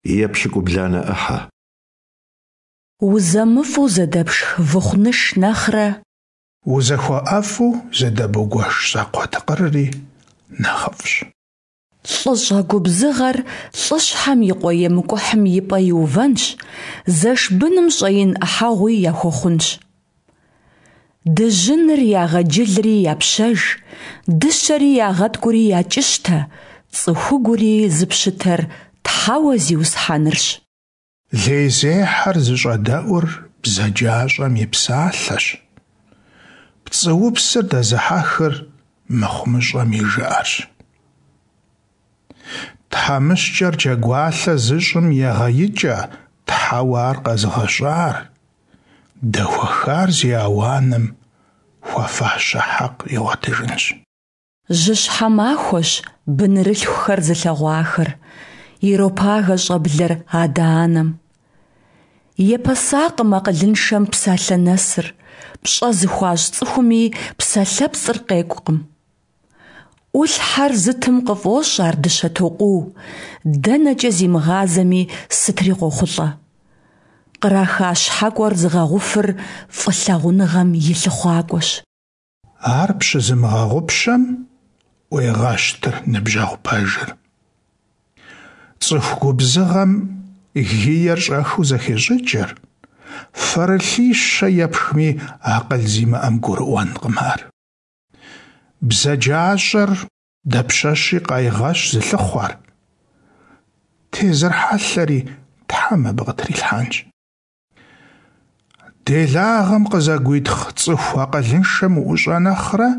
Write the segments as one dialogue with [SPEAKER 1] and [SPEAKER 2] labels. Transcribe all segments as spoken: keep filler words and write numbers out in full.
[SPEAKER 1] Епщыкӏубланэ ӏыхьэ.
[SPEAKER 2] Узэмыфӏу зэдэпшх выхъу ныш нэхърэ.
[SPEAKER 3] Узэхуэӏэфӏу зэдэбгуэш щӏакхъуэ тыкъырри нэхъыфӏщ.
[SPEAKER 2] ЛӀыщӀэ губзыгъэр лӀыщхьэм и къуэ емыкӀухьым и пӀэ иувэнщ, зэш быным щӀэин Ӏыхьэгъуи яхуэхъунщ. Дыжьыныр ягъэджылри япщэж, дыщэри ягъэткӀури якӀыщтэ, цӀыхугури зыпщытэр Тхьэуэ Зиусхьэнырщ.
[SPEAKER 3] Лейзехьэр зыщӀэдэӀур бзаджащӀэм и псалъэщ, пцӀыупсыр дэзыхьэхыр мыхъумыщӀэм и жыӀэрщ. ТхьэмыщкӀэр джэгуалъэ зыщӀым егъэикӀэ Тхьэуэ ар къэзыгъэщӀар, дэхуэхар зи ауаным хуэфащэ хьэкъ игъуэтыжынщ.
[SPEAKER 2] Жьыщхьэ махуэщ бынырылъхухэр зылъэгъуахэр, иропагэ щӀэблэр адэ-анэм. Епэсакъым акъылыншэм псалъэ нэсыр, пщӀэ зыхуащӀ цӀыхуми псалъэпцӀыр къекӀукъым. Ӏулъхьэр зытым къыфӀощӀ ар дыщэ токъуу, дэнэкӀэ зимыгъазэми сытри къохъулӀэ. Къраха щхьэкӀуэр зыгъэгъуфыр фӀылъагъуныгъэм и лъыхъуакӀуэщ.
[SPEAKER 3] Ар пщызымыгъэгъупщэм Ӏуегъэщтыр ныбжьэгъу пэжыр. ЦӀыху губзыгъэм гиер щӀэхыу зэхещӀыкӀыр, фэрылъищэ епхми, акъыл зимыӀэм гурыӀуэнкъым ар. БзаджащӀэр дапщэщи къайгъэщ зылъыхъуэр, тезыр хьэлъэри Тхьэм абы къытрилъхьэнщ. Делагъэм къызэгуитхъ цӀыху акъылыншэм уӀущӀэ нэхърэ,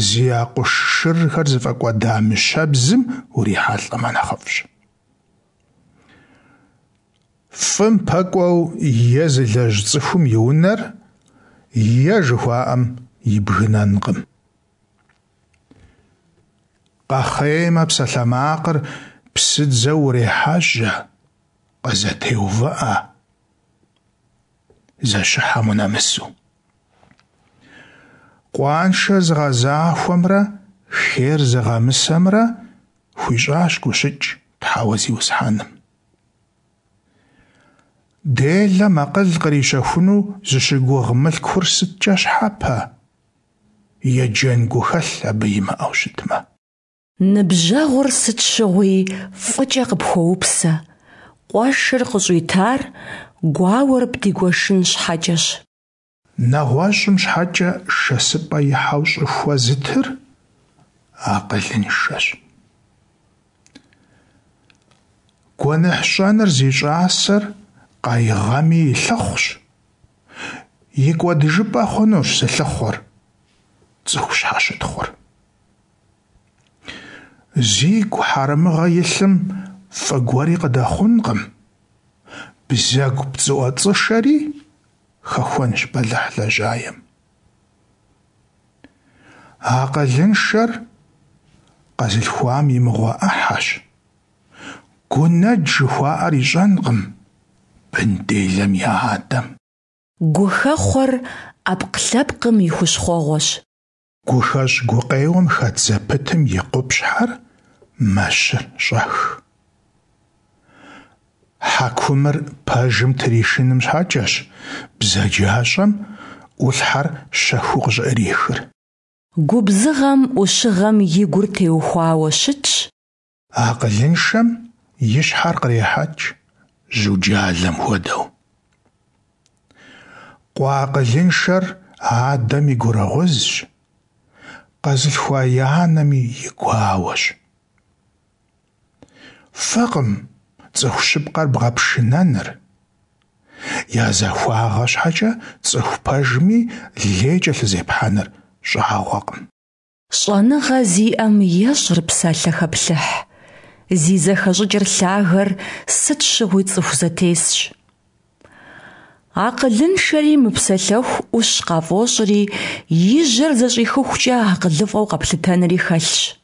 [SPEAKER 3] зи акъуш шырхэр зыфӀэкӀуэда мыщэбзым урихьэлӀэмэ нэхъыфӀщ. ФӀым пэкӀуэу е зылэжь цӀыхум и унэр е жыхуаӀэм ибгынэнкъым. Къэхъеймэ, псалъэмакъыр псыдзэу урехьэжьэ, къызэтеувыӀэ, зэщыхьэм унэмысу. Къуаншэр зыгъэзахуэмрэ хейр зыгъэмысэмрэ хуищӀащ гущыкӀ Тхьэуэ Зиусхьэным. Делэм акъыл кърищэхуну зыщыгугъ мылъкур сыткӀэ щхьэпэ, еджэн гухэлъ абы имыӀэу щытмэ.
[SPEAKER 2] Ныбжьэгъур сыт щыгъуи фӀыкӀэ къыпхуоупсэ, къуэшыр къыщӀуитар гуауэр бдигуэшын щхьэкӀэщ.
[SPEAKER 3] НэгъуэщӀым щхьэкӀэ шэсыпӀэ ихьэу щӀыхуэ зытыр акъылыншэщ. Гуэныхь щӀэныр зи щӀасэр къайгъэми и лъыхъущ, и кӀуэдыжыпӀэ хъунущ зылъыхъуэр, цӀыху щхьэщытхъур. Зигу хьэрэмыгъэ илъым фӀы гуэри къыдэхъункъым, бзэгу пцӀыӀуэцӀышэри хэхуэнщ бэлыхь лэжьаем. Акъылыншэр къэзылъхуам и мыгъуэ Ӏыхьэщ, гунэдж жыхуаӀэр ищӀэнкъым бын делэм я адэм.
[SPEAKER 2] Гухэхъуэр Ӏэпкълъэпкъым и хущхъуэгъуэщ.
[SPEAKER 3] ГухэщӀ гукъеуэм хэт зэпытым и къупщхьэр мэщыр щӀэх. Хьэкумыр пэжым тришыным щхьэкӀэщ бзаджащӀэм Ӏулъхьэр щэхуу къыщӀыӀрихыр.
[SPEAKER 2] Губзыгъэм Ӏущыгъэм и гур теухуауэ щытщ.
[SPEAKER 3] Акъылыншэм и щхьэр кърехьэкӀ, жьуджалэм хуэдэу. Къуэ акъылыншэр адэм и гурыгъузщ, къэзылъхуа и анэми и гуауэщ. Фӏыкъым цӀыху щыпкъэр бгъэпшынэныр, я захуагъэ щхьэкӀэ цӀыху пэжми лей кӀэлъызепхьэныр щӀагъуэкъым.
[SPEAKER 2] ЩӀэныгъэ зиӀэм ещӀыр псалъэхэплъыхь, зи зэхэщӀыкӀыр лъагэр сыт щыгъуи цӀыху зэтесщ. Акъылыншэри мыпсэлъэху Ӏущ къафӀощӀри, и жьэр зэщӀихыхукӀэ акъылыфӀэу къэплъытэнри хэлъщ.